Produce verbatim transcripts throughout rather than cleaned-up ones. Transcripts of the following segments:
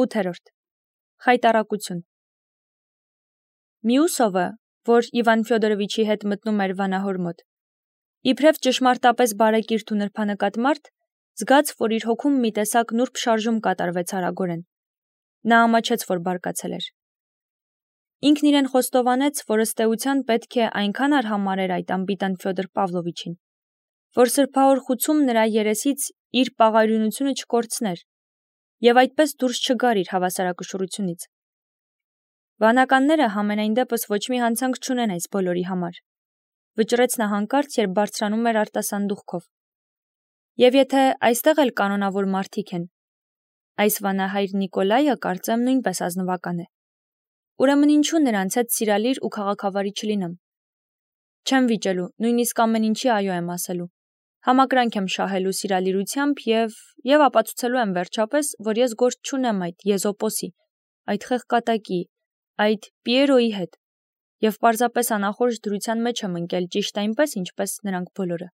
ութերորդ. Խայտառակություն։ Մյուսովը, որ Իվան Ֆյոդորովիչի հետ մտնում էր վանահոր մոտ, իբրև ճշմարտապես բարեկիրթ ու նրբանկատ մարդ, զգաց, որ իր հոգում մի տեսակ նուրբ շարժում կատարվեց արագորեն։ Նա ամաչեց, որ բարկացել էր։ Ինքն իրեն խոստովանեց, որ ըստ էության պետք է այնքան արհամարհեր այդ անպիտան Ֆյոդոր Պավլովիչին, որ սրբահոր խուցում նրա երեսից իր պաղարյունությունը չկորցներ և այդպես դուրս չգար իր հավասարակշռությունից։ Վանականները համենայն դեպս ոչ մի հանցանք չունեն այս բոլորի համար, վճռեց նա հանկարծ, երբ բարձրանում էր արտասանդուղքով։ Եվ եթե այստեղ էլ կանոնավոր մարդիկ են, այս վանահայր Նիկոլայը կարծեմ նույնպես ազնվական է։ Ուրեմն ինչու նրանց հետ սիրալիր ու քաղաքավարի չլինեմ։ Չեմ վիճելու, նույնիսկ ամեն ինչի այո եմ ասելու։ Համակրանք եմ շահելու սիրալիրությամբ և և ապացուցելու եմ վերջապես, որ ես գործ չունեմ այդ Եզոպոսի, այդ խեղկատակի, այդ Պիերոյի հետ, և պարզապես անախորժ դրության մեջ եմ ընկել ճիշտ այնպես, ինչպես նրանք բոլորը։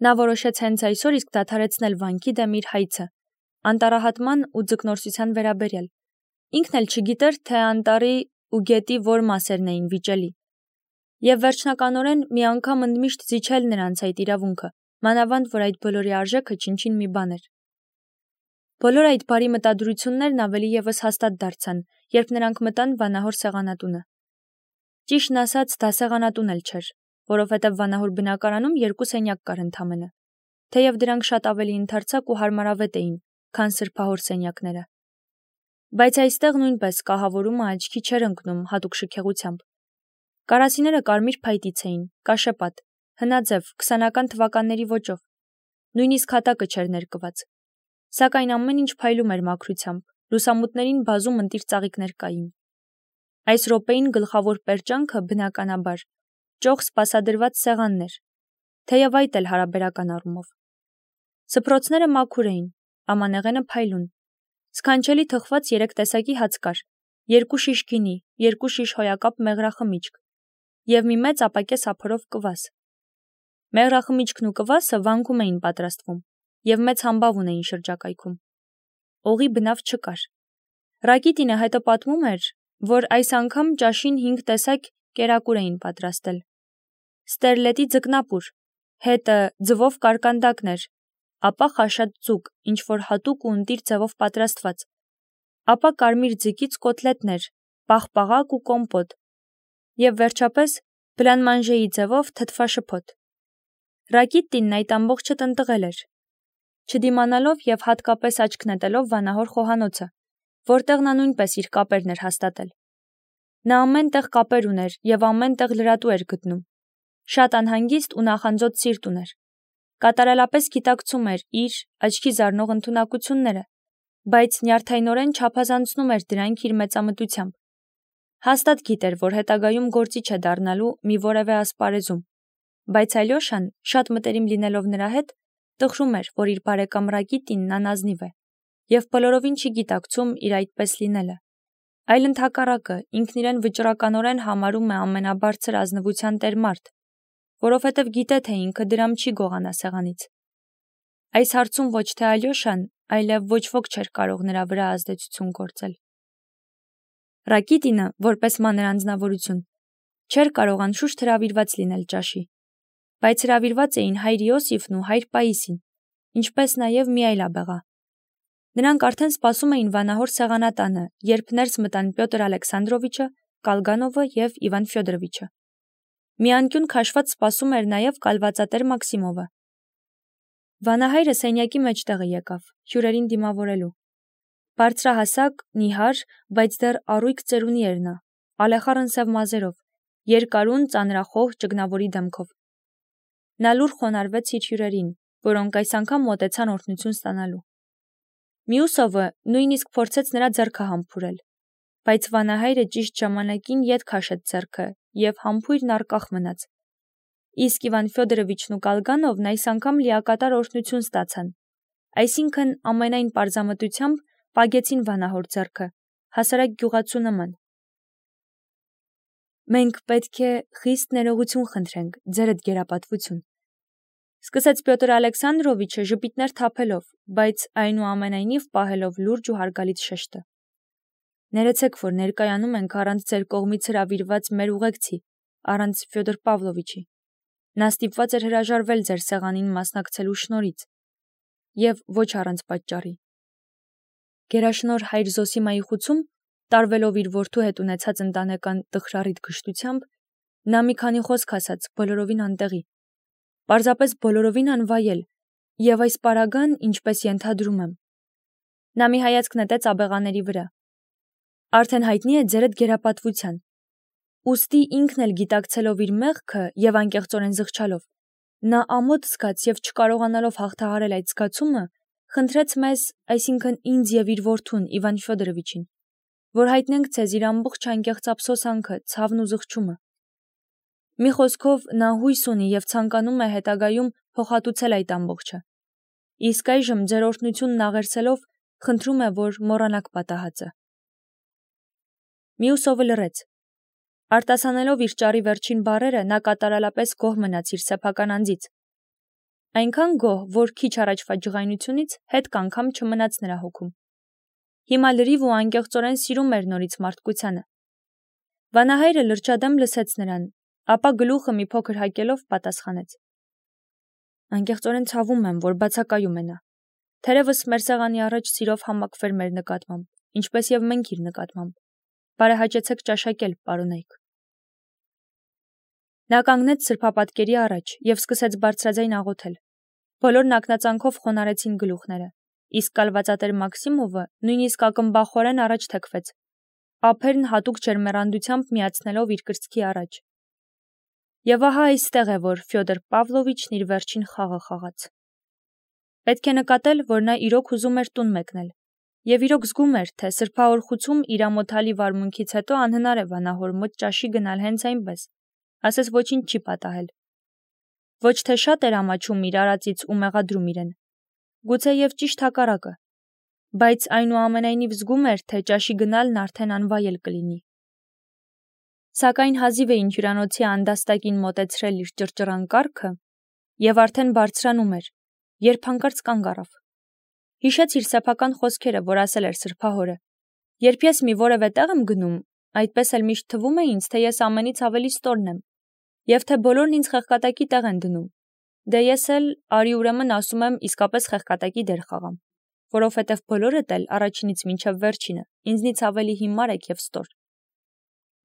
Նա որոշեց հենց այսօր իսկ դադարեցնել վանքի դեմ իր հայցը, անտառահատման ու ձկնորսության վերաբերյալ։ Ինքն էլ չգիտեր, թե անտառի ու գետի որ մասերն էին վիճելի, և վերջնականորեն մի անգամ ընդմիշտ զիջել նրանց այդ իրավունքը, մանավանդ որ այդ բոլորի արժեքը չնչին մի բան էր։ Բոլոր այդ բարի մտադրություններն ավելի ևս հաստատ դարձան, երբ նրանք մտան վանահոր սեղանատունը։ Ճիշտն ասած, դա սեղանատուն էլ չէր, որովհետև վանահոր բնակարանում երկու սենյակ կար ընդամենը, թեև դրանք շատ ավելի ընդարձակ ու հարմարավետ էին, քան սրբահոր սենյակները։ Բայց այստեղ նույնպես կահավորումը աչքի չէր ընկնում հատուկ շքեղությամբ։ Կարասիները կարմիր փայտից էին, կաշեպատ, հնաձև, քսանական թվականների ոճով, նույնիսկ հատակը չէր ներկված։ Սակայն ամեն ինչ փայլում էր մաքրությամբ, լուսամուտներին բազում ընտիր ծաղիկներ կային։ Այս րոպեին գլխավոր պերճանքը, բնականաբար, ճոխ սպասադրված սեղանն էր, թեև այդ էլ հարաբերական առումով։ Սփռոցները մաքուր էին, ամանեղենը փայլուն, սքանչելի թխված երեք տեսակի հաց կար, երկու շիշ գինի, երկու շիշ հոյակապ մեղրախմիչք և մի մեծ ապակես ափերով կվաս։ Մեղրախմիչքն ու կվասը վանքում էին պատրաստվում և մեծ համբավ ունեին շրջակայքում։ Օղի բնավ չկար։ Ռակիտինը հետո պատմում էր, որ այս անգամ ճաշին հինգ տեսակ կերակուր էին պատրաստել։ Ստերլետի ձկնապուր, հետը ձվով կարկանդակներ, ապա խաշած ձուկ, ինչ-որ հատուկ ու ընտիր ձևով պատրաստված, ապա կարմիր ձկից կոտլետներ, պաղպաղակ ու կոմպոտ, և վերջապես բլանմանժեի ձևով թթվաշփոթ։ Ռակիտինն այդ ամբողջը տնտղել էր, չդիմանալով և հատկապես աչք նետելով վանահոր խոհանոցը, որտեղ նա նույնպես իր կապերն էր հաստատել։ Նա ամեն տեղ կապեր ուներ և ամեն տեղ լրատու էր գտնում։ Շատ անհանգիստ ու նախանձոտ սիրտ ուներ։ Կատարելապես գիտակցում էր իր աչքի զարնող ընդունակությունները, բայց նյարդայնորեն չափազանցնում էր դրանք իր մեծամտությամբ։ Հաստատ գիտեր, որ հետագայում գործիչ է դառնալու մի որևէ ասպարեզում, բայց Ալյոշան, շատ մտերիմ լինելով նրա հետ, տխրում էր, որ իր բարեկամ Ռակիտինն անազնիվ է, և բոլորովին չի գիտակցում իր այդպես լինելը, այլ ընդհակառակը, ինքն իրեն վճռականորեն համարում է ամենաբարձր ազնվության տեր մարդ, որովհետև գիտե, թե ինքը դրամ չի գողանա սեղանից։ Այս հարցում ոչ թե Ալյոշան, այլև ոչ ոք չէր կարող նրա վրա ազդեցություն գործել։ Ռակիտինը, որպես մանր անձնավորություն, չէր կարող անշուշտ հրավիրված լինել ճաշի, բայց հրավիրված էին հայր Իոսիֆն ու հայր Պաիսին, ինչպես նաև մի այլ աբեղա։ Նրանք արդեն սպասում էին վանահոր սեղանատանը, երբ ներս մտան Պյոտր Ալեքսանդրովիչը, Կալգանովը և Իվան Ֆյոդորովիչը։ Մի անկյուն քաշված սպասում էր նաև կալվածատեր Մաքսիմովը։ Վանահայրը սենյակի մեջտեղը եկավ, հյուրերին դիմավորելու։ Բարձրահասակ, նիհար, բայց դեռ առույգ ծերունի էր նա, ալեխառն սև մազերով, երկարուն, ծանրախոհ, ճգնավորի դեմքով։ Նա լուռ խոնարհվեց իր հյուրերին, որոնք այս անգամ մոտեցան օրհնություն ստանալու։ Մյուսովը նույնիսկ փորձեց նրա ձեռքը համբուրել, բայց վանահայրը ճիշտ ժամանակին ետ քաշեց ձեռքը և համբույրն առկախ մնաց։ Իսկ Իվան Ֆյոդորովիչն ու Կալգանովն այս անգամ լիակատար օրհնություն ստացան, այսինքն ամենայն պարզամտությամբ պագեցին վանահոր ձեռքը, հասարակ գյուղացու նման։ Մենք պետք է խիստ ներողություն խնդրենք, ձերդ գերապատվություն, Սկսեց Պյոտր Ալեքսանդրովիչը ժպիտներ թափելով, բայց այնուամենայնիվ պահելով լուրջ ու հարգալից շեշտը. Ներեցեք, որ ներկայանում ենք առանց ձեր կողմից հրավիրված մեր ուղեկցի, առանց Ֆյոդոր Պավլովիչի։ Նա ստիպված էր հրաժարվել ձեր սեղանին մասնակցելու շնորհից, եւ ոչ առանց պատճառի։ Գերաշնորհ հայր Զոսիմայի խուցում, տարվելով իր որդու հետ ունեցած ընտանեկան տխրառիթ գժտությամբ, նա մի քանի խոսք ասաց բոլորովին անտեղի, պարզապես բոլորովին անվայել, եւ այս պարագան, ինչպես ենթադրում եմ։ Նա մի հայացք նետեց աբեղաների վրա։ Արդեն հայտնի է ձերդ գերապատվության։ Ուստի ինքն էլ գիտակցելով իր մեղքը եւ անկեղծորեն զղջալով, նա ամոթ զգաց եւ չկարողանալով հաղթահարել այդ զգացումը, խնդրեց մեզ, այսինքն ինձ եւ իր որդուն Իվան Ֆյոդորովիչին, որ հայտնենք ցեզ իր ամբողջ անկեղծ ափսոսանքը, ցավն ու զղջումը։ Մի խոսքով նա հույս ունի եւ ցանկանում է հետագայում փոխհատուցել այդ ամբողջը։ Իսկ այժմ ձեր օրհնությունն աղերսելով խնդրում է, որ մոռանաք պատահածը։ Մյուսովը լռեց։ Արտասանելով իր ճարի վերջին բառերը, նա կատարելապես գոհ մնաց իր սեփական անձից։ Այնքան գոհ, որ քիչ առաջվա ջղայնությունից հետ կանգամ չմնաց նրա հոգում։ Հիմա լրիվ ու անկեղծորեն սիրում էր նորից մարդկությանը։ Վանահայրը լրջադեմ լսեց նրան, ապա գլուխը մի փոքր հակելով պատասխանեց. Անկեղծորեն ցավում եմ, որ բացակայում է նա։ Թերևս մեր սեղանի առաջ սիրով համակվեր մեր նկատմամբ, ինչպես եւ մենք իր նկատմամբ։ Բարեհաճեցեք ճաշակել, պարոնայք։ Նա կանգնեց սրբապատկերի առաջ եւ սկսեց բարձրաձայն աղոթել։ Բոլորն ակնածանքով խոնարեցին գլուխները, իսկ կալվածատեր Մաքսիմովը նույնիսկ ակմբախորեն առաջ թեքվեց, ափերն հատուկ ջերմեռանդությամբ միացնելով իր կրծքի առաջ։ Եվ ահա այստեղ է, որ Ֆյոդոր Պավլովիչն իր վերջին խաղը խաղաց։ Պետք է նկատել, որ նա իրոք ուզում էր տուն մեկնել, եւ իրոք զգում էր, թե սրբավոր խուցում իր ամոթալի վարմունքից հետո անհնար է վանահոր մոտ ճաշի գնալ հենց այնպես, ասես ոչինչ չի պատահել։ Ոչ թե շատ էր ամաչում իր արածից ու մեղադրում իրեն, գուցե եւ ճիշտ հակառակը, բայց այնուամենայնիվ զգում էր, թե ճաշի գնալն արդեն անվայել կլինի։ Սակայն հազիվ էին հյուրանոցի անդաստակին մոտեցրել իր ճռճռան կառքը եւ արդեն բարձրանում էր, երբ հանկարծ կանգ առավ։ Հիշեց իր սեփական խոսքերը, որ ասել էր սրբահորը. երբ ես մի որևէ տեղ եմ գնում, այդպես էլ միշտ թվում է ինձ, թե ես ամենից ավելի ստորն եմ, եւ թե բոլորն ինձ խեղկատակի տեղ են դնում։ Դե ես էլ արի ուրեմն ասում եմ իսկապես խեղկատակի դեր խաղամ, որովհետեւ բոլորդ էլ առաջինից մինչեւ վերջինը ինձնից ավելի հիմար եք եւ ստոր։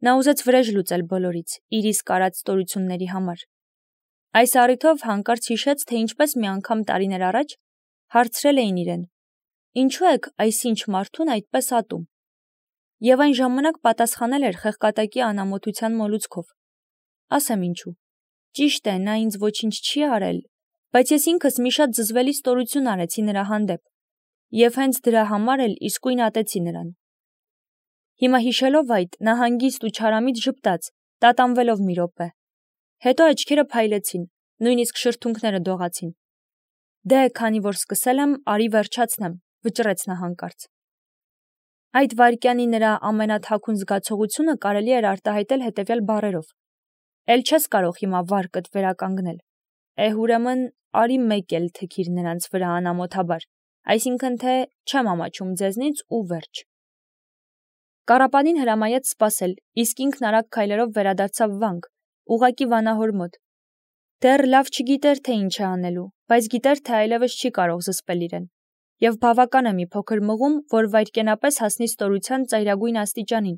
Նա ուզեց վրեժ լուծել բոլորից, իր իսկ արած ստորությունների համար։ Այս առիթով հանկարծ հիշեց, թե ինչպես մի անգամ տարիներ առաջ հարցրել էին իրեն. ինչու եք այսինչ մարդուն այդպես ատում։ Եվ այն ժամանակ պատասխանել էր խեղկատակի անամոթության մոլուցքով. ասեմ ինչու։ Ճիշտ է, նա ինձ ոչինչ չի արել, բայց ես ինքս մի շատ զզվելի ստորություն արեցի նրա հանդեպ, եւ հենց դրա համար էլ իսկույն ատեցի նրան։ Հիմա հիշելով այդ, նա հանգիստ ու չարամիտ ժպտաց, տատանվելով մի րոպե։ Հետո աչքերը փայլեցին, նույնիսկ շրթունքները դողացին։ Դե, քանի որ սկսել եմ, արի վերջացնեմ, վճռեց նա հանկարծ։ Այդ վայրկյանի նրա ամենաթաքուն զգացողությունը կարելի էր արտահայտել հետևյալ բառերով. Էլ չես կարող հիմա վարկդ վերականգնել։ Էհ ուրեմն արի մեկ էլ թքիր նրանց վրա անամոթաբար, այսինքն թե չեմ ամաչում ձեզնից ու վերջ։ Կառապանին հրամայեց սպասել, իսկ ինքն արագ քայլերով վերադարձավ վանք, ուղակի վանահոր մոտ։ Դեռ լավ չգիտեր, թե ինչ է անելու, բայց գիտեր, թե այլևս չի կարող զսպել իրեն։ Եվ բավական է մի փոքր մղում, որ վայրկենապես հասնի ստորության ծայրագույն աստիճանին։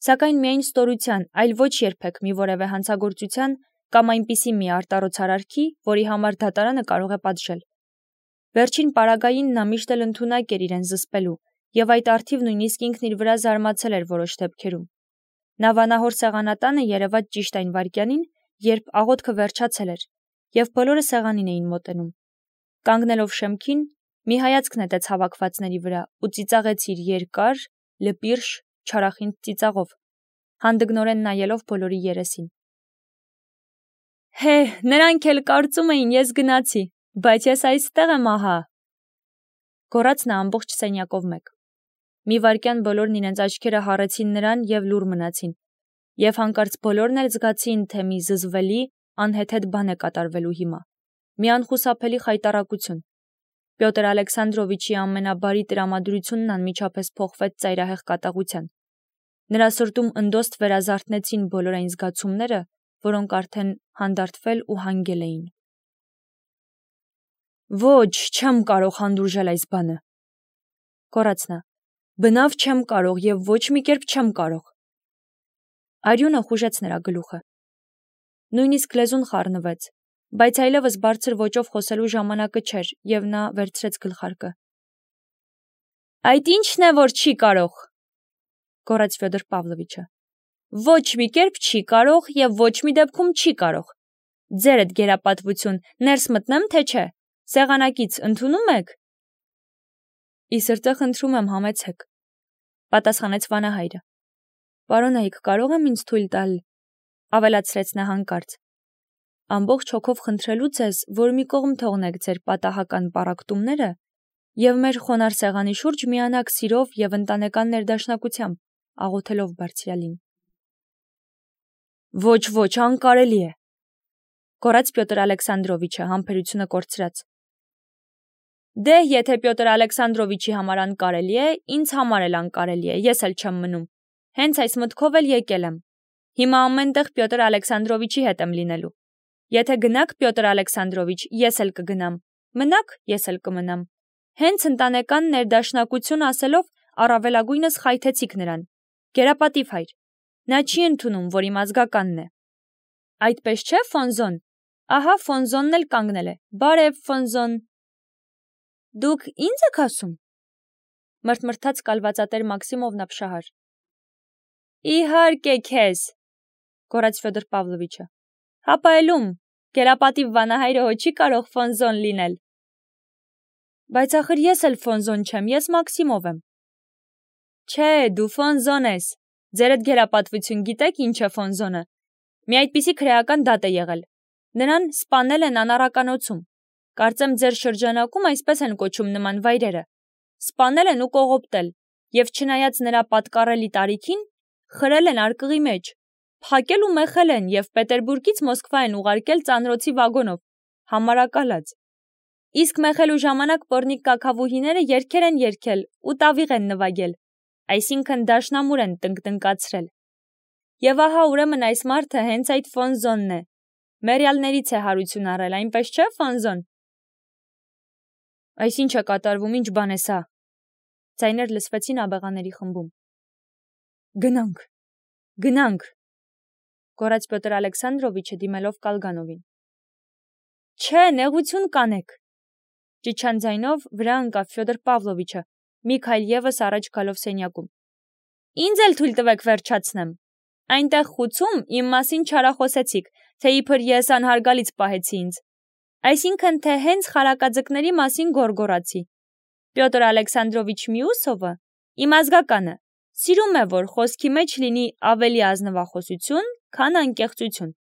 Սակայն միայն ստորության, այլ ոչ երբեք մի որևէ հանցագործության կամ այնպիսի մի արտառոց արարքի, որի համար դատարանը կարող է պատժել։ Վերջին պարագային նա միշտ էլ ընդունակ էր իրեն զսպելու, եւ այդ արդիվ նույնիսկ ինքն իր վրա զարմացել էր որոշ դեպքերում։ Նա վանահոր սեղանատանը երևաց ճիշտ այն վայրկյանին, երբ աղոթքը վերջացել էր, եւ բոլորը սեղանին էին մոտենում։ Կանգնելով շեմքին, մի հայացք նետեց հավաքվածների վրա ու ծիծաղեց իր երկար, լպիրշ, չարախինդ ծիծաղով, հանդգնորեն նայելով բոլորի երեսին։ Հե, նրանք էլ կարծում էին ես գնացի, բայց ես այստեղ եմ ահա։ Գոռաց նա ամբողջ սենյակով մեկ։ Մի վայրկյան բոլորն իրենց աչքերը հառեցին նրան եւ լուռ մնացին, եւ հանկարծ բոլորն էլ զգացին, թե մի զզվելի, անհեթեթ բան է կատարվելու հիմա։ մի անխուսափելի խայտառակություն։ Պյոտր Ալեքսանդրովիչի ամենաբարի տրամադրությունն անմիջապես փոխվեց ծայրահեղ կատաղության։ Նրա սրտում ընդոստ վերազարթնեցին բոլոր այն զգացումները, որոնք արդեն հանդարտվել ու հանգել էին։ Ոչ, չեմ կարող հանդուրժել այս բանը, կորաց նա, բնավ չեմ կարող և ոչ մի կերպ չեմ կարող։ Արյունը խուժեց նրա գլուխը։ Նույնիսկ լեզուն խառնվեց, բայց այլևս բարձր ոճով խոսելու ժամանակը չէր, և նա վերցրեց գլխարկը։ Այդ ի՞նչն է, որ չի կարող, գոռաց Ֆյոդոր Պավլովիչը։ Ոչ մի կերպ չի կարող և ոչ մի դեպքում չի կարող։ Ձերդ գերապատվություն, ներս մտնեմ, թե չէ։ Սեղանակից ընդունում եք։ Ի սրտե խնդրում եմ, համեցեք, պատասխանեց վանահայրը։ Պարոնայք, կարող եմ ինձ թույլ տալ, ավելացրեց նա հանկարծ։ Ամբողջ հոգով խնդրելու ձեզ, որ մի կողմ թողնեք ձեր պատահական պառակտումները և մեր խոնարհ սեղանի շուրջ միանաք սիրով և ընտանեկան ներդաշնակությամբ, աղոթելով Բարձրյալին։ Ոչ, ոչ, անկարելի է, գոռաց Պյոտր Ալեքսանդրովիչը համբերությունը կորցրած։ Դե, եթե Պյոտր Ալեքսանդրովիչի համար անկարելի է, ինձ համար էլ անկարելի է, ես էլ չեմ մնում։ Հենց այս մտքով էլ եկել եմ։ Հիմա ամենտեղ Պյոտր Ալեքսանդրովիչի հետ եմ լինելու։ Եթե գնաք, Պյոտր Ալեքսանդրովիչ, ես էլ կգնամ։ Մնաք, ես էլ կմնամ։ Հենց ընտանեկան ներդաշնակություն ասելով առավելագույնս խայթեցիք նրան։ Գերապատիվ հայր։ Նա չի ընդունում, որ իմ ազգականն է։ Այդպես չէ, Ֆոնզոն։ Ահա Ֆոնզոնն էլ կանգնել է։ Բարև, Ֆոնզոն։ Դուք ինձ եք ասում։ Մրթմրթաց կալվածատեր Մաքսիմովն ապշահար։ Իհարկե քեզ, գոռաց Ֆյոդոր Պավլովիչը։ Հապայելում, գերապատիվ վանահայրը հո չի կարող Ֆոնզոն լինել։ Բայց ախր ես էլ Ֆոնզոն չեմ, ես Մաքսիմով եմ։ Չէ, դու Ֆոնզոն ես։ Ձերդ գերապատվություն գիտեք ինչ է Ֆոնզոնը։ Մի այդպիսի քրեական դատ է եղել։ Նրան սպանել են անառականոցում։ Կարծեմ ձեր շրջանակում այսպես են կոչում նման վայրերը։ Սպանել են ու կողոպտել, և չնայած նրա պատկառելի տարիքին, խրել են արկղի մեջ, փակել ու մեխել են և Պետերբուրգից Մոսկվա են ուղարկել ծանրոցի վագոնով, համարակալած։ Իսկ մեխելու ժամանակ պոռնիկ կաքավուհիները երգեր են երգել ու տավիղ են նվագել, այսինքն դաշնամուր են տնկտնկացրել։ Եվ ահա ուրեմն այս մարդը հենց այդ Ֆոնզոնն է։ Մերյալներից է հարություն առել, այնպես չէ, Ֆոնզոն։ Այս ինչ է կատարվում, ինչ բան է սա։ Ձայներ լսվեցին աբեղաների խմբում։ Գնանք, գնանք, գոռաց Պյոտր Ալեքսանդրովիչը դիմելով Կալգանովին։ Չէ, նեղություն կանեք, ճիչան ձայնով վրա ընկավ Ֆյոդոր Պավլովիչը, մի քայլ ևս առաջ գալով սենյակում։ Ինձ էլ թույլ տվեք վերջացնեմ։ Այնտեղ խուցում իմ մասին չարախոսեցիք, թե իբր ես անհարգալից պահեցի ինձ։ Այսինքն, թե հենց խարակաձկների մասին գոռգոռացի։ Պյոտր Ալեքսանդրովիչ Միուսովը, իմ ազգականը, սիրում է, որ խոսքի մեջ լինի ավելի ազնվախոսություն, քան անկեղծություն։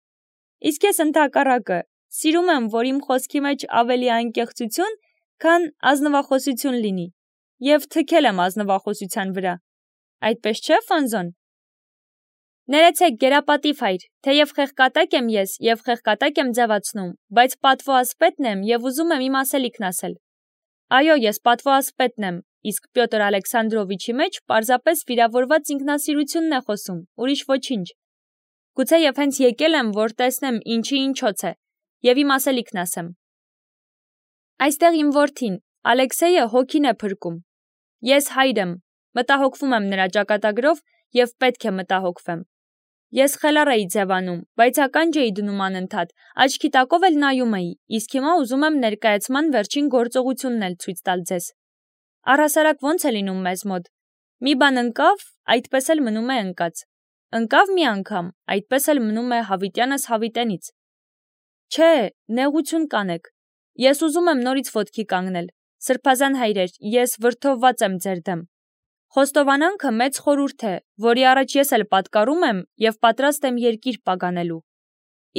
Իսկ ես ընդհակառակը, սիրում եմ, որ իմ խոսքի մեջ ավելի անկեղծություն, քան ազնվախոսություն լինի, և թքել եմ ազնվախոսության վրա։ Այդպես չէ, Ֆոնզոն։ Ներեցեք, գերապատիվ հայր, թեև խեղկատակ եմ ես և խեղկատակ եմ ձևացնում, բայց պատվո ասպետն եմ և ուզում եմ իմ ասելիքն ասել։ Այո, ես պատվո ասպետն եմ, իսկ Պյոտր Ալեքսանդրովիչի մեջ պարզապես վիրավորված ինքնասիրությունն է խոսում, ուրիշ ոչինչ։ Գուցեև հենց եկել եմ, որ տեսնեմ ինչի ինչոց է, և իմ ասելիքն ասեմ։ Այստեղ իմ որդին, Ալեքսեյը հոգին է փրկում։ Ես հայր եմ, մտահոգվում եմ նրա ճակատագրով և պետք է մտահոգվեմ։ Ես խելառ էի ձևանում, բայց ականջ էի դնում անընդհատ, աչքի տակով էլ նայում էի, իսկ հիմա ուզում եմ ներկայացման վերջին գործողությունն էլ ցույց տալ ձեզ։ Առհասարակ ո՞նց է լինում մեզ մոտ։ Մի բան ընկավ, այդպես էլ մնում է ընկած։ Ընկավ մի անգամ, այդպես էլ մնում է հավիտյանս հավիտենից։ Չէ, նեղություն կանեք։ Ես ուզում եմ նորից ոտքի կանգնել։ Սրբազան հայրեր, ես վրդովված եմ ձեր դեմ։ Խոստովանանքը մեծ խորհուրդ է, որի առաջ ես էլ պատկառում եմ և պատրաստ եմ երկիր պագանելու։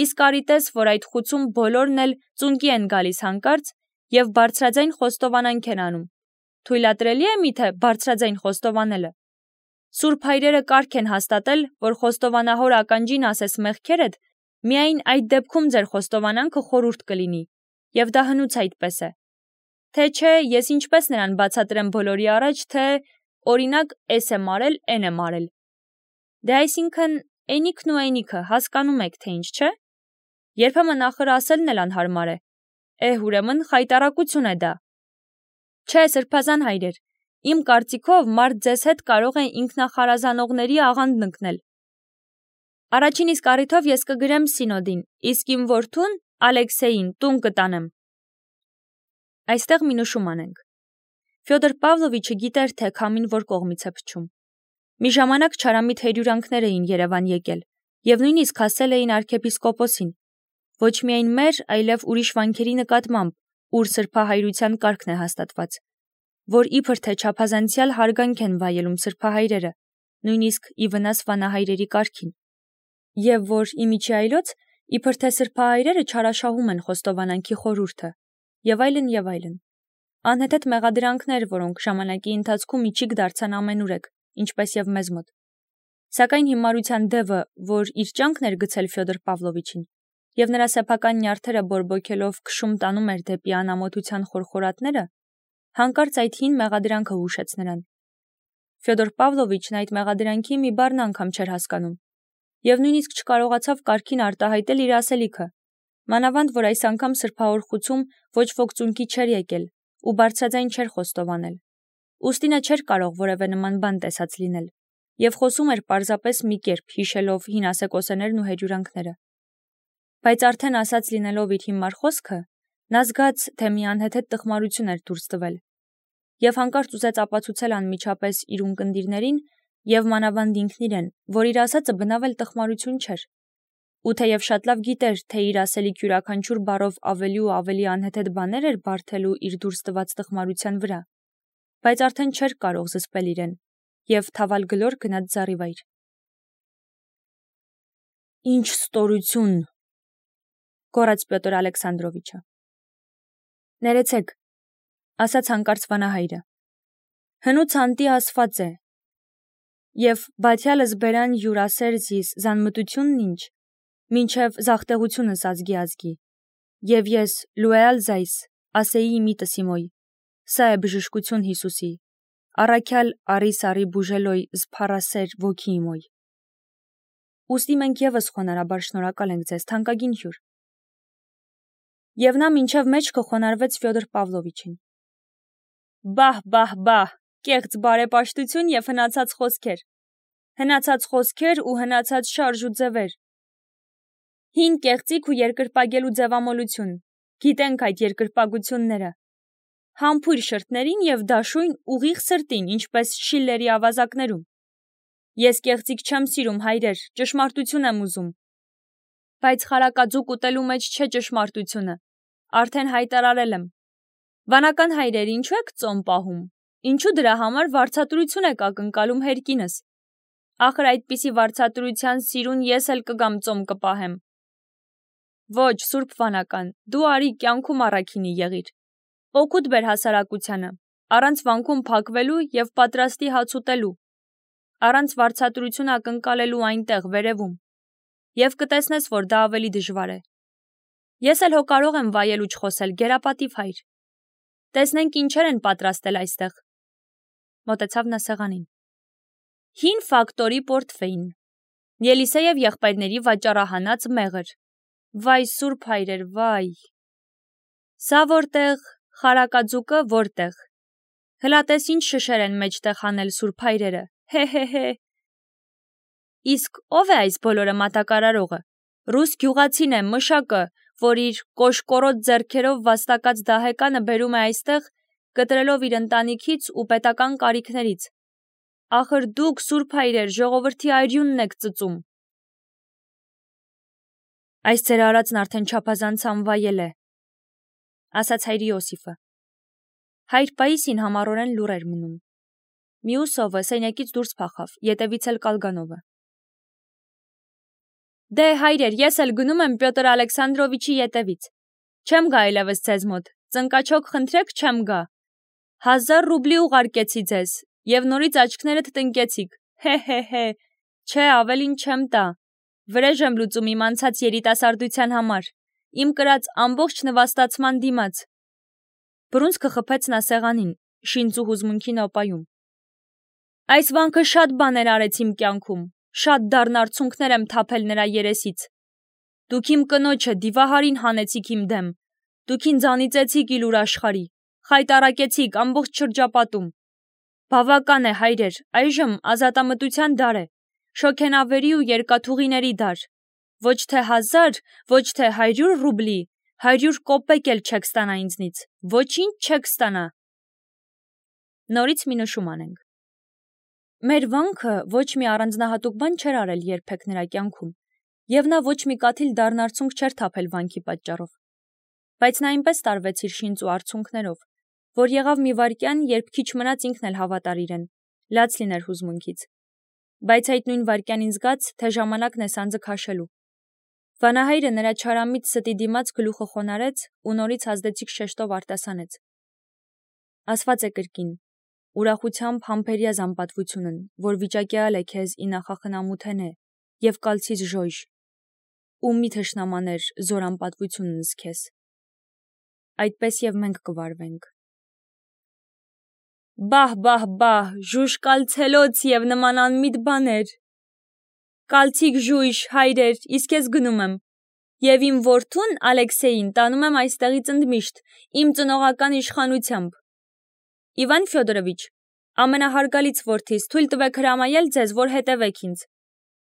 Իսկ արիտես, որ այդ խուցում բոլորն էլ ծունկի են գալիս հանկարծ և բարձրաձայն խոստովանանք են անում։ Թույլատրելի է միթե բարձրաձայն խոստովանելը։ Սուրբ հայրերը կարգ են հաստատել, որ խոստովանահոր ականջին ասես մեղքերդ, միայն այդ դեպքում ձեր խոստովանանքը խորհուրդ կլինի, եւ դա հնուց այդպես է։ Թե չէ, ես ինչպես նրան բացատրեմ բոլորի առաջ, թե օրինակ էս եմ արել, էն եմ արել։ Դե այսինքն էնիքն ու էնիքը հասկանում եք, թե ինչ չէ։ Երբեմն ախր ասելն էլ անհարմար է։ Է, ուրեմն խայտառակություն է դա։ Չէ, սրբազան հայրեր, իմ կարծիքով մարդ ձեզ հետ կարող է ինքնախարազանողների աղանդն ընկնել։ Առաջին իսկ առիթով ես կգրեմ սինոդին, իսկ իմ որդուն Ալեքսեյին տուն կտանեմ։ Այստեղ մի նշում անենք։ Ֆյոդոր Պավլովիչը գիտեր, թե քամին որ կողմից է փչում։ Մի ժամանակ չարամիտ հերյուրանքներ էին Երևան եկել, եւ նույնիսկ հասել էին arczepiskoposին, ոչ միայն մեր, այլև ուրիշ վանքերի նկատմամբ, ուր սրբահայրության կարգն է հաստատված, որ իբր թե չափազանցյալ հարգանք են վայելում սրբահայրերը, նույնիսկ ի վնաս վանահայրերի կարգին, եւ որ իմիջի այլոց իբր թե սրբահայրերը չարաշահում են խոստովանանքի խորհուրդը, եւ այլն եւ այլն։ Անհեթեթ մեղադրանքներ, որոնք ժամանակի ընթացքում իջիկ դարձան ամենուրեք, ինչպես եւ մեզ մոտ։ Սակայն հիմարության դևը, որ իր ճանկն էր գցել Ֆյոդոր Պավլովիչին, եւ նրա սեփական նյարդերը բորբոքելով քշում տանում էր դեպի անամոթության խորխորատները, հանկարծ այդ հին մեղադրանքը հուշեց նրան։ Ֆյոդոր Պավլովիչն այդ մեղադրանքի մի բառն անգամ չէր հասկանում, եւ նույնիսկ չկարողացավ կարգին արտահայտել իր ասելիքը, մանավանդ որ այս անգամ սրբաօրխուցում ոչ ոք ծունկի չէր եկել ու բարձրաձայն չէր խոստովանել։ Ուստի նա չէր կարող որևէ նման բան տեսած լինել, եւ խոսում էր պարզապես մի կերպ, հիշելով հին ասեկոսեներն ու հերյուրանքները։ Բայց արդեն ասած լինելով իր հիմար խոսքը, նա զգաց, թե մի անհեթեթ տխմարություն էր դուրս տվել, եւ հանկարծ ուզեց ապացուցել անմիջապես իր ունկնդիրներին եւ մանավանդ ինքն իրեն, որ իր ասածը բնավ էլ տխմարություն չէր, ու թեև շատ լավ գիտեր, թե իր ասելիք յուրաքանչյուր բառով ավելի ու ավելի անհեթեթ բաներ էր բարթելու իր դուրս տված տխմարության վրա, բայց արդեն չէր կարող զսպել իրեն եւ թավալ գլոր գնաց զառիվայր։ Ինչ ստորություն, գոռաց Պյոտր Ալեքսանդրովիչը։ Ներեցեք, ասաց հանկարծ վանահայրը։ Հնուց անտի ասված է, եւ բաթյալս բերան յուրասեր զիս զանմտությունն ինչ, մինչև զախտեղությունս ազգի ազգի, եւ ես լուեալ զայս, ասեի միտս իմոյ, սա է բժշկություն Հիսուսի, առաքյալ արիս արի բուժելոյ զփարասեր ոգի իմոյ։ Ուստի մենք եւս խոնարհաբար շնորհակալ ենք ձեզ, թանկագին հյուր։ Եվ նա մինչև մեջքը խոնարհվեց Ֆյոդոր Պավլովիչին։ Բահ, բահ, բահ, կեղծ բարեպաշտություն եւ հնացած խոսքեր։ Հնացած խոսքեր ու հնացած շարժ ու ձևեր։ Հին կեղծիք ու երկրպագելու ձևամոլություն։ Գիտենք այդ երկրպագությունները։ Համբույր շրթներին եւ դաշույն ուղիղ սրտին, ինչպես Շիլլերի ավազակներում։ Ես կեղծիք չեմ սիրում, հայրեր, ճշմարտություն եմ ուզում։ Բայց խարակաձուկ ուտելու մեջ չէ ճշմարտությունը։ Արդեն հայտարարել եմ։ Վանական հայրեր, ինչու եք ծոմ պահում։ Ինչու դրա համար վարձատրություն եք ակնկալում հերկինս։ Ախր այդպիսի վարձատրության սիրուն ես էլ կգամ ծոմ կպահեմ։ Ոչ, Սուրբ Վանական, դու արի կյանքում առաքինի եղիր։ Օգուտ բեր հասարակությանը, առանց վանքում փակվելու եւ պատրաստի հաց ուտելու, առանց վարձատրություն ակնկալելու այնտեղ վերևում, եւ կտեսնես, որ դա ավելի դժվար է։ Ես էլ հո կարող եմ վայել ու չխոսել, գերապատիվ հայր։ Տեսնենք ինչեր են պատրաստել այստեղ։ Մոտեցավ նա սեղանին։ Հին ֆակտորի պորտֆեյն, Ելիսեև եղբայրների վաճառահանած մեղր։ Վայ Սուրբ հայրեր, վայ։ Սա որտեղ, խարակաձուկը որտեղ։ Հլատես ինչ շշեր են մեջտեղ հանել Սուրբ հայրերը, հե-հե-հե։ Իսկ ով է այս բոլորը մատակարարողը։ Ռուս գյուղացին է, մշակը, որ իր կոշկորոտ ձեռքերով վաստակած դահեկանը բերում է այստեղ, կտրելով իր ընտանիքից ու պետական կարիքներից։ Ախր դուք, Սուրբ հայրեր, ժողովրդի արյունն եք ծծում։ Այս ձեր արածն արդեն չափազանց անվայել է, ասաց հայր Իոսիֆը։ Հայր Պաիսին համառորեն լուռ էր մնում։ Մյուս ովը սենյակից դուրս փախավ, ետևից էլ Կալգանովը։ Դե հայրեր, ես էլ գնում եմ Պյոտր Ալեքսանդրովիչի ետևից։ Չեմ գա այլևս ձեզ մոտ, ծնկաչոք խնդրեք, չեմ գա։ Հազար ռուբլի ուղարկեցի ձեզ, եւ նորից աչքներդ տնկեցիք, հե-հե-հե, չէ, ավելին չեմ տա։ Վրեժ եմ լուծում իմ անցած երիտասարդության համար, իմ կրած ամբողջ նվաստացման դիմաց։ Բռունցքը խփեց նա սեղանին, շինծու հուզմունքի նոպայում։ Այս վանքը շատ բաներ արեց իմ կյանքում, շատ դառն արցունքներ եմ թափել նրա երեսից։ Դուք իմ կնոջը դիվահարին հանեցիք իմ դեմ, դուք ինձ անիծեցիք իլուր աշխարհի, խայտառակեցիք ամբողջ շրջապատում։ Բավական է, հայրեր, այժմ ազատամտության դար է, շոգենավերի ու երկաթուղիների դար։ Ոչ թե հազար, ոչ թե հարյուր ռուբլի, հարյուր կոպեկ էլ չեք ստանա ինձնից, ոչինչ չեք ստանա։ Նորից մի նշում անենք։ Մեր վանքը ոչ մի առանձնահատուկ բան չէր արել երբեք նրա կյանքում, եւ նա ոչ մի կաթիլ դառն արցունք չէր թափել վանքի պատճառով։ Բայց նա այնպես տարվեց իր շինծու արցունքներով, որ եղավ մի վայրկյան, երբ քիչ մնաց ինքն էլ հավատար իրեն, լաց լիներ հուզմունքից։ Բայց այդ նույն վայրկյանին զգաց, թե ժամանակն է սանձը քաշելու։ Վանահայրը նրա չարամիտ ստի դիմաց գլուխը խոնարհեց ու նորից ազդեցիկ շեշտով արտասանեց. Ասված է կրկին, ուրախությամբ համբերյա զամպատվությունն, որ վիճակյալ է քեզ ի նախախնամութենե եւ կալցից ժոյժ, ու մի թշնամաներ զոր անպատվությունն զքես։ Այդպես եւ մենք կվարվենք։ Բահ, բահ, բահ, ժուժ կալցելոց եւ նման անմիտ բաներ։ Կալցիկ ժույժ, հայրեր, իսկ ես գնում եմ։ Եվ իմ որդուն Ալեքսեյին տանում եմ այստեղից ընդմիշտ, իմ ծնողական իշխանությամբ։ Իվան Ֆյոդորովիչ, ամենահարգալից որդիս, թույլ տվեք հրամայել ձեզ, որ հետևեք ինձ։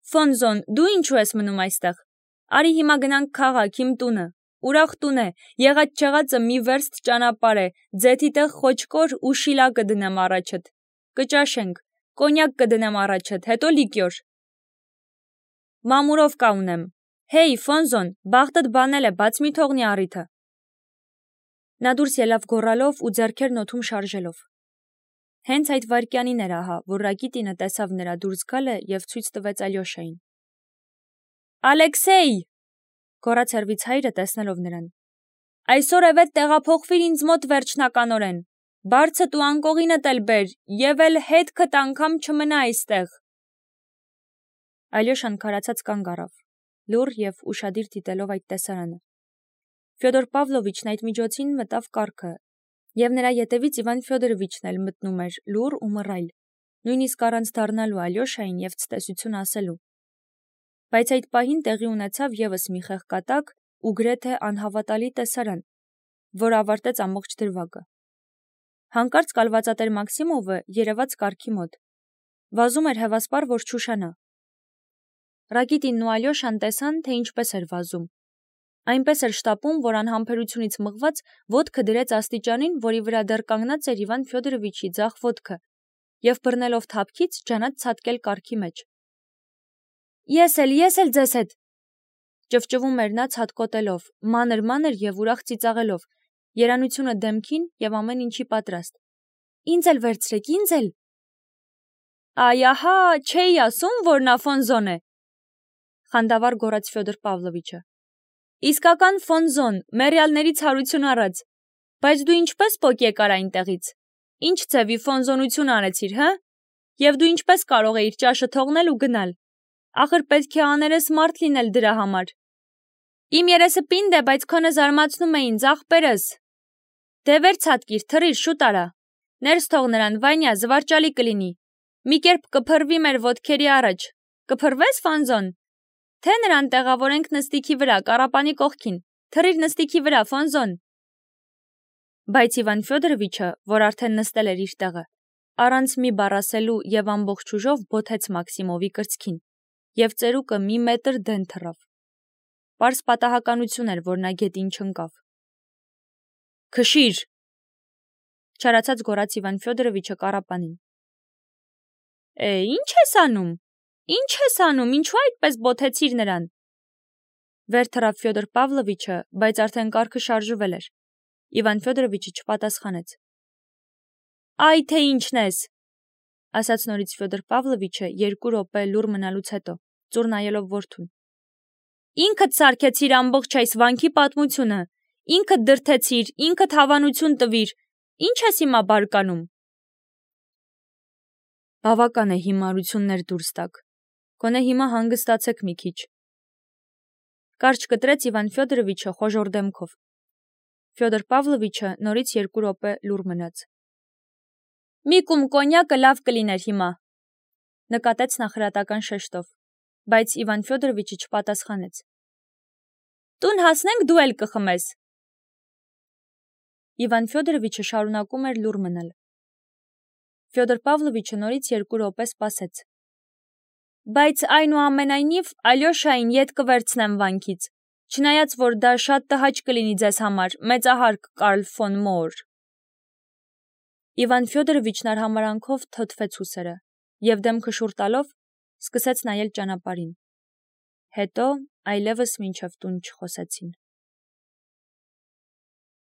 Ֆոնզոն, դու ինչու ես մնում այստեղ։ Արի հիմա գնանք քաղաք, իմ տունը։ Ուրախ տուն է, եղած չեղածը մի վերստ ճանապարհ է, ձեթի տեղ խոչկոր ու շիլա կդնեմ առաջդ։ Կճաշենք, կոնյակ կդնեմ առաջդ, հետո լիկյոր։ Մամուրով կա ունեմ։ Հեյ, Ֆոնզոն, բախտդ բանել է, բաց մի թողնի առիթը։ Նա դուրս ելավ գոռալով ու ձեռքերն օդում շարժելով։ Հենց այդ վայրկյանին էր ահա, որ Ռակիտինը տեսավ նրա դուրս գալը եւ ցույց տվեց Ալյոշային։ Ալեքսեյ, գոռաց հեռվից հայրը տեսնելով նրան։ Այսօր է վետ տեղափոխվիր ինձ մոտ վերջնականորեն։ Բարձդ ու անկողինդ էլ բեր, եւ էլ հետքդ անգամ չմնա այստեղ։ Ալյոշան քարացած կանգ առավ, լուռ եւ ուշադիր դիտելով այդ տեսարանը։ Ֆյոդոր Պավլովիչն այդ միջոցին մտավ կառքը, եւ նրա ետևից Իվան Ֆյոդորովիչն էլ մտնում էր լուռ ու մռայլ, նույնիսկ առանց դառնալու Ալյոշային եւ ցտեսություն ասելու։ Բայց այդ պահին տեղի ունեցավ եւս մի խեղկատակ ու գրեթե անհավատալի տեսարան, որ ավարտեց ամբողջ դրվագը։ Հանկարծ կալվածատեր Մաքսիմովը երևաց կառքի մոտ։ Վազում էր հևասպար, որ չուշանա։ Ռակիտինն ու Ալյոշան տեսան, թե ինչպես էր վազում։ Այնպես էր շտապում, որ անհամբերությունից մղված ոտքը դրեց աստիճանին, որի վրա դեռ կանգնած էր Իվան Ֆյոդորովիչի ձախ ոտքը, եւ բռնելով թափքից ջանաց ցատկել կառքի մեջ։ Ես էլ, ես էլ ձեզ հետ, ճվճվում էր նա ցատկոտելով, մանր-մանր եւ ուրախ ծիծաղելով, երանությունը դեմքին եւ ամեն ինչի պատրաստ։ Ինձ էլ վերցրեք, ինձ էլ։ Այ ահա, չէի ասում, որ նա Ֆոնզոն է, խանդավառ գոռաց Ֆյոդոր Պավլովիչը։ Իսկական Ֆոնզոն, մերյալների ցարություն առած։ Բայց դու ինչպես պոկ եկար այնտեղից։ Ինչ ձևի ֆոնզոնություն արեցիր, հա։ Եվ դու ինչպես կարող էիր ճաշը թողնել ու գնալ։ Ախր պետք է աներես մարդ լինել դրա համար։ Իմ երեսը պինդ է, բայց քոնը զարմացնում է ինձ, ախպերս։ Դե վեր ցատկիր, թռիր, շուտ արա։ Ներս թող նրան, Վանյա, զվարճալի կլինի։ Մի կերպ կփռվի մեր ոտքերի առաջ։ Կփռվես, Ֆոնզոն։ Թե նրան տեղավորենք նստիքի վրա, կառապանի կողքին։ Թռիր նստիքի վրա, Ֆոնզոն։ Բայց Իվան Ֆյոդորովիչը, որ արդեն նստել էր իր տեղը, առանց մի բառ ասելու եւ ամբողջ ուժով բոթեց Մաքսիմովի կրծքին, եւ ծերուկը մի մետր դեն թռավ։ Պարզ պատահականություն էր, որ նա գետին չընկավ։ Քշիր, չարացած գոռաց Իվան Ֆյոդորովիչը կառապանին։ Է, ի՞նչ ես անում։ Ինչ ես անում, ինչու այդպես բոթեցիր նրան։ Վեր թռավ Ֆյոդոր Պավլովիչը, բայց արդեն կառքը շարժվել էր։ Իվան Ֆյոդորովիչը չպատասխանեց։ Այ թե ինչն ես, ասաց նորից Ֆյոդոր Պավլովիչը երկու րոպե լուռ մնալուց հետո, ծուռ նայելով որդուն։ Ինքդ սարքեցիր ամբողջ այս վանքի պատմությունը, ինքդ դրթեցիր, ինքդ հավանություն տվիր, ինչ ես հիմա բարկանում։ Բավական է հիմարություններ դուրս տաք, գոնե հիմա հանգստացեք մի քիչ։ Կարճ կտրեց Իվան Ֆյոդորովիչը խոժոր դեմքով։ Ֆյոդոր Պավլովիչը նորից երկու րոպե լուռ մնաց։ Մի կում կոնյակը լավ կլիներ հիմա, նկատեց նախրատական շեշտով, բայց Իվան Ֆյոդորովիչը չպատասխանեց։ Տուն հասնենք դու էլ կխմես։ Իվան Ֆյոդորովիչը շարունակում էր լուռ մնալ։ Ֆյոդոր Պավլովիչը նորից երկու րոպե սպասեց։ Բայց այնուամենայնիվ Ալյոշային ետ կվերցնեմ վանքից, չնայած որ դա շատ տհաճ կլինի ձեզ համար, մեծահարկ Կարլ ֆոն Մոոր։ Իվան Ֆյոդորովիչն արհամարանքով թոթվեց ուսերը և դեմքը շուռ տալով սկսեց նայել ճանապարհին։ Հետո այլևս մինչև տուն չխոսեցին։